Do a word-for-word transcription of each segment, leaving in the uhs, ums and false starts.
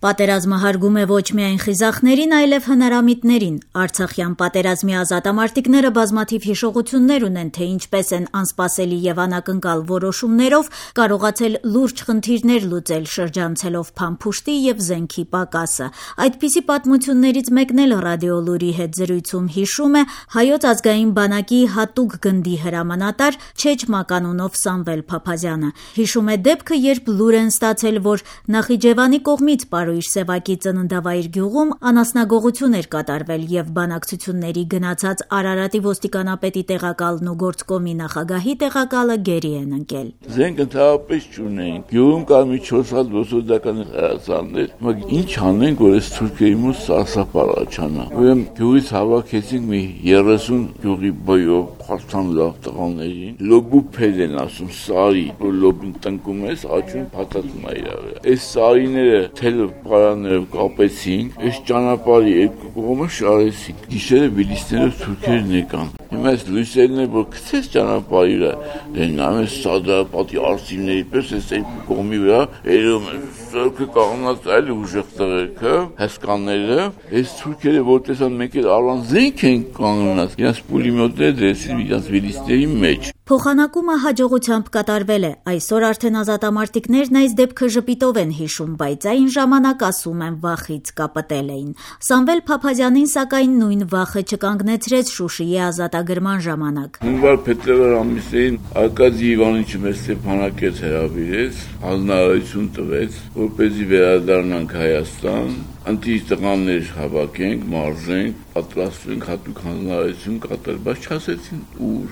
Պատերազմը հարգում է ոչ միայն խիզախներին, այլև հնարամիտներին։ Արցախյան պատերազմի ազատամարտիկները բազմաթիվ հիշողություններ ունեն, թե ինչպես են անսպասելի եւ անակնկալ որոշումներով կարողացել լուրջ խնդիրներ լուծել, շրջանցելով փամփուշտի եւ զենքի պակասը։ Այդպիսի պատմություններից մեկն էլ ռադիոլուրի հետ զրույցում հիշում է Հայոց ազգային բանակի հատուկ գնդի հրամանատար Չեչ Մականունով Սամվել Փափազյանը։ Հիշում է դեպքը, երբ լուր են ստացել, որ Նախիջևանի կողմից Պարույր Սևակի ծննդավայր գյուղում անասնագողություն էր կատարվել եւ բանակցությունների գնացած Արարատի ոստիկանապետի տեղակալն ու գործկոմի նախագահի տեղակալը գերի են ընկել։ Զենք ընդհանրապես չունեին։ Գյուղում կար մի չորս հատ ոսորդական հրացաններ։ Բայց ինչ անենք, որ այս թուրքերի մոտ սարսափ առաջանա։ Ուրեմն գյուղից հավաքեցինք մի երեսուն գյուղի բոյով փաստան լավ տղաներին։ Լոբուփել են ասում սարի, որ լոբին տնկում ես, աճում փաթաթում է իրար։ Այս սարիները թել պարաններով կապեցինք, այս ճանապարհի երկու կողմը շարեցինք։ Գիշերը միլիցներով թուրքերն եկան։ Հիմա այս լույսերն է, որ գցես ճանապարհի վրա, դենամ է սադրապատի արսիվների պես այս երկու կողմի վրա երում է սորքը կաղնած այլ ուժեղ տղերքը, հսկանները, այս թուրքերը որ տեսան մեկ էլ առանց զենք են կանգնած, իրաց պուլեմյոտները դրեցին իրաց միլիցների մեջ։ Փոխանակումը հաջողությամբ կատարվել է։ Այսօր արդեն ազատամարտիկներն այս դեպքը ժպիտով են հիշում, բայց այն ժամանակ ասում են վախից կապտել էին։ Սամվել Փափազյանին սակայն նույն վախը չկանգնեցրեց Շուշիի ազատագրման ժամանակ։ Հունվար փետրվար ամիսներին Արկադի Իվանիչը մեզ Ստեփանակերտ հրավիրեց, հանրահայտություն տվեց, որպեսզի վերադառնանք Հայաստան, ընտիր տղաներ հավաքենք, մարզենք, պատրաստվենք հատուկ հանրահայտություն կատարել, բայց չասեցին ուր։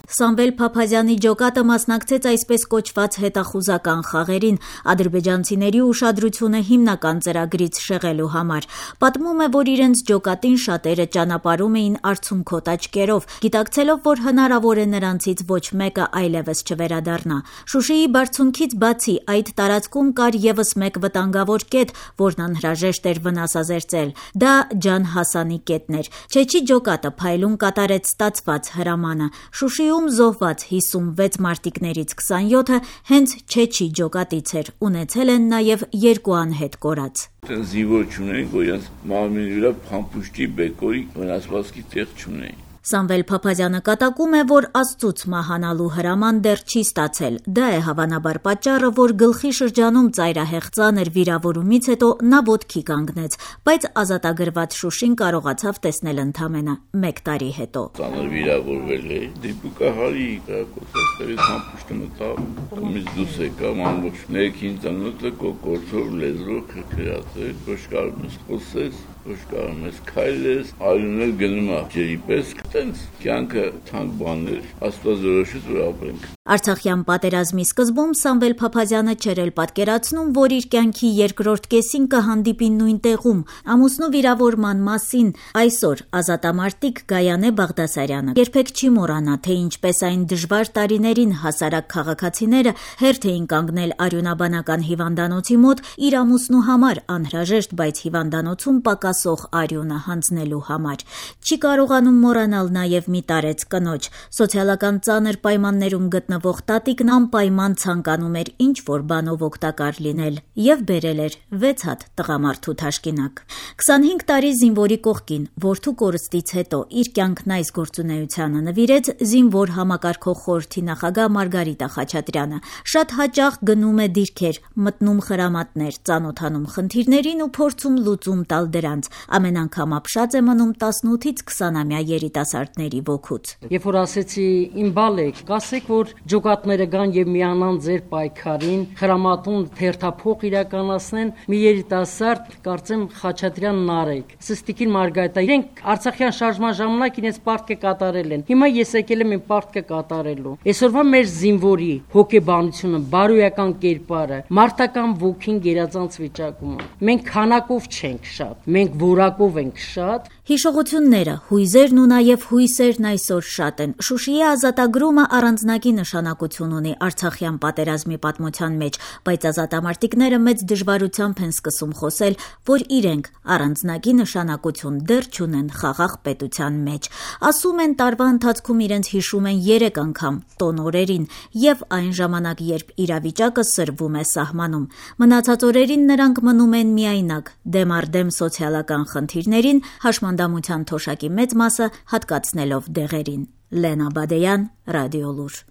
Սամվել Փափազյանի ջոկատը մասնակցեց այսպես կոչված հետախուզական խաղերին, ադրբեջանցիների ուշադրությունը հիմնական ծրագրից շեղելու համար։ Պատմում է, որ իրենց ջոկատին շատերը ճանապարհում էին արցունքոտ աչքերով, գիտակցելով, որ հնարավոր է նրանցից ոչ մեկը այլևս չվերադառնա։ Շուշիի բարձունքից բացի այդ տարածքում կար եւս մեկ վտանգավոր կետ, որն անհրաժեշտ էր վնասազերծել։ Դա Ջան Հասանի կետն էր։ Չեչի ջոկատը փայլուն կատարեց ստացված հրամանը։ Շուշիում զոհված հիսունվեց մարտիկներից քսանյոթը հենց Չեչի ջոկատից էր, ունեցել են նաև երկու անհետ կորած։ Զինվոր չունեն, որ իրենց մարմինի վրա փամփուշտի բեկորի վնասվածքի տեղ չունեն։ Սամվել Փափազյանը կատակում է, որ Աստծուց մահանալու հրաման դեռ չի ստացել։ Դա է հավանաբար պատճառը, որ գլխի շրջանում ծայրահեղ ծանր վիրավորումից հետո նա ոտքի կանգնեց, բայց ազատագրված Շուշին կարողացավ տեսնել ընդամենը մեկ տարի հետո։ Ծանր վիրավորվել է, դիպուկահարի կրակոցաստերի համպուշտը մտավ, կոմից դուս եկամ ամբողջ ներքին ծանոթը կոկորցով լեզվով քրքրած էր, ոչ կարող ես խոսես, ոչ կարող ես քայլես, այլունել գնում է ջերի պես։ Տենց կյանքը թանկ բաներ, Աստված որոշեց, որ ապրենք։ Արցախյան պատերազմի սկզբում Սամվել Փափազյանը չէր էլ պատկերացնում, որ իր կյանքի երկրորդ կեսին կհանդիպի նույն տեղում։ Ամուսնու վիրավորման մասին այսօր ազատամարտիկ Գայանե Բաղդասարյանը երբեք չի մոռանա, թե ինչպես այն դժվար տարիներին հասարակ քաղաքացիները հերթ էին կանգնել արյունաբանական հիվանդանոցի մոտ իր ամուսնու համար անհրաժեշտ, բայց հիվանդանոցում պակասող արյունը հանձնելու համար։ Չի կարողանում մոռանալ նաև մի տարեց կնոջ։ Սոցիալական ծանր պայմաններում գտնվող տատիկն անպայման ցանկանում էր ինչ-որ բանով օգտակար լինել եւ բերել էր վեց հատ տղամարդու թաշկինակ։ քսանհինգ տարի զինվորի կողքին, որդու կորստից հետո իր կյանքն այս գործունեությանը նվիրեց զինվոր համակարգող խորհրդի նախագահ Մարգարիտա Խաչատրյանը։ Շատ հաճախ գնում է դիրքեր, մտնում խրամատներ, ծանոթանում խնդիրներին ու փորձում լուծում տալ դրանց։ Ամեն անգամ ապշած է մնում տասնութից քսանամյա երիտասարդների ոգուց։ Երբ որ ասեցի իմ բալեք, կասեք, որ ջոկատները գան եւ միանան ձեր պայքարին, խրամատուն թերթափող իրականացնեն, մի երիտասարդ, կարծեմ Խաչատրյան Նարեկ, Սստիկին Մարգարիտա, իրենք Արցախյան շարժման ժամանակ իրենց պարտքը կատարել են։ Հիմա ես եկել եմ իմ պարտքը կատարելու։ Այսօրվա մեր զինվորի հոգեբանությունը, բարոյական կերպարը, մարտական ոգին գերազանց վիճակում։ Մենք քանակով չենք շատ, մենք մենք որակով ենք շատ։ Հիշողությունները, հույզերն ու նաև հույսերն այսօր շատ են։ Շուշիի ազատագրումը առանձնակի նշանակություն ունի Արցախյան պատերազմի պատմության մեջ, բայց ազատամարտիկները մեծ դժվարությամբ են սկսում խոսել, որ իրենք առանձնակի նշանակություն դեռ չունեն խաղաղ պետության մեջ։ Ասում են, տարվա ընթացքում իրենց հիշում են երեք անգամ տոն օրերին եւ այն ժամանակ, երբ իրավիճակը սրվում է սահմանում։ Մնացած օրերին նրանք մնում են միայնակ, դեմ առ դեմ սոցիալական խնդիրներին, հաշմանդամության թոշակի մեծ մասը հատկացնելով դեղերին։ Լենա Բադեյան, Ռադիոլուր։